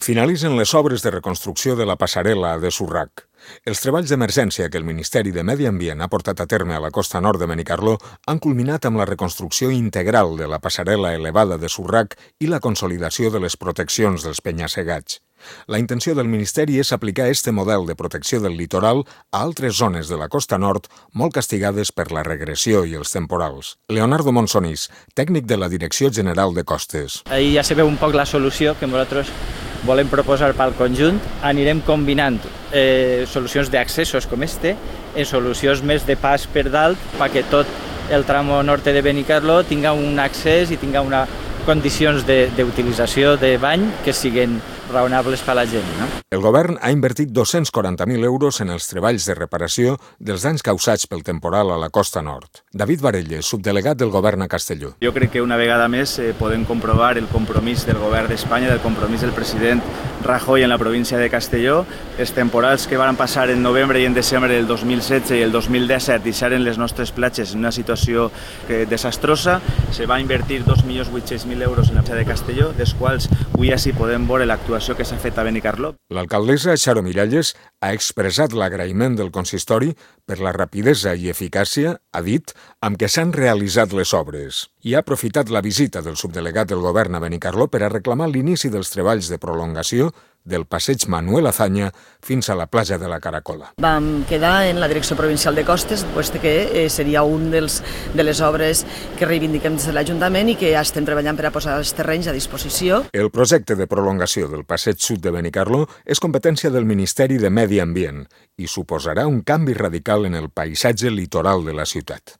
Finalitzen les obres de reconstrucció de la passarel·la de Surrac. Els treballs d'emergència que el Ministeri de Medi Ambient ha portat a terme a la costa nord de Benicarló han culminat amb la reconstrucció integral de la passarel·la elevada de Surrac i la consolidació de les proteccions dels penya-segats. La intenció del Ministeri és aplicar este model de protecció del litoral a altres zones de la costa nord molt castigades per la regressió i els temporals. Leonardo Monsonís, tècnic de la Direcció General de Costes. Ahí ja se veu un poc la solució que nosaltres volem proposar pel conjunt. Anirem combinant solucions d'accessos com este en solucions més de pas per dalt perquè tot el tramo nord de Benicarló tinga un accés i tinga condicions d'utilització de bany que siguin raonables per a la gent. No? El govern ha invertit 240.000 euros en els treballs de reparació dels danys causats pel temporal a la costa nord. David Varelles, subdelegat del govern a Castelló. Jo crec que una vegada més podem comprovar el compromís del govern d'Espanya, del compromís del president Rajoy en la província de Castelló. Els temporals que van passar en novembre i en desembre del 2016 i el 2017 deixaren les nostres platges en una situació desastrosa. Se va invertir 2.800.000 euros en la platja de Castelló, dels quals avui així podem veure l'actuació que s'ha fet a Benicarló. L'alcaldessa Xaro Miralles ha expressat l'agraïment del consistori per la rapidesa i eficàcia, ha dit, amb què s'han realitzat les obres. I ha aprofitat la visita del subdelegat del govern a Benicarló per a reclamar l'inici dels treballs de prolongació del passeig Manuel Azaña fins a la platja de la Caracola. Vam quedar en la Direcció Provincial de Costes que seria un de les obres que reivindiquem des de l'Ajuntament i que ja estem treballant per a posar els terrenys a disposició. El projecte de prolongació del passeig sud de Benicarló és competència del Ministeri de Medi Ambient i suposarà un canvi radical en el paisatge litoral de la ciutat.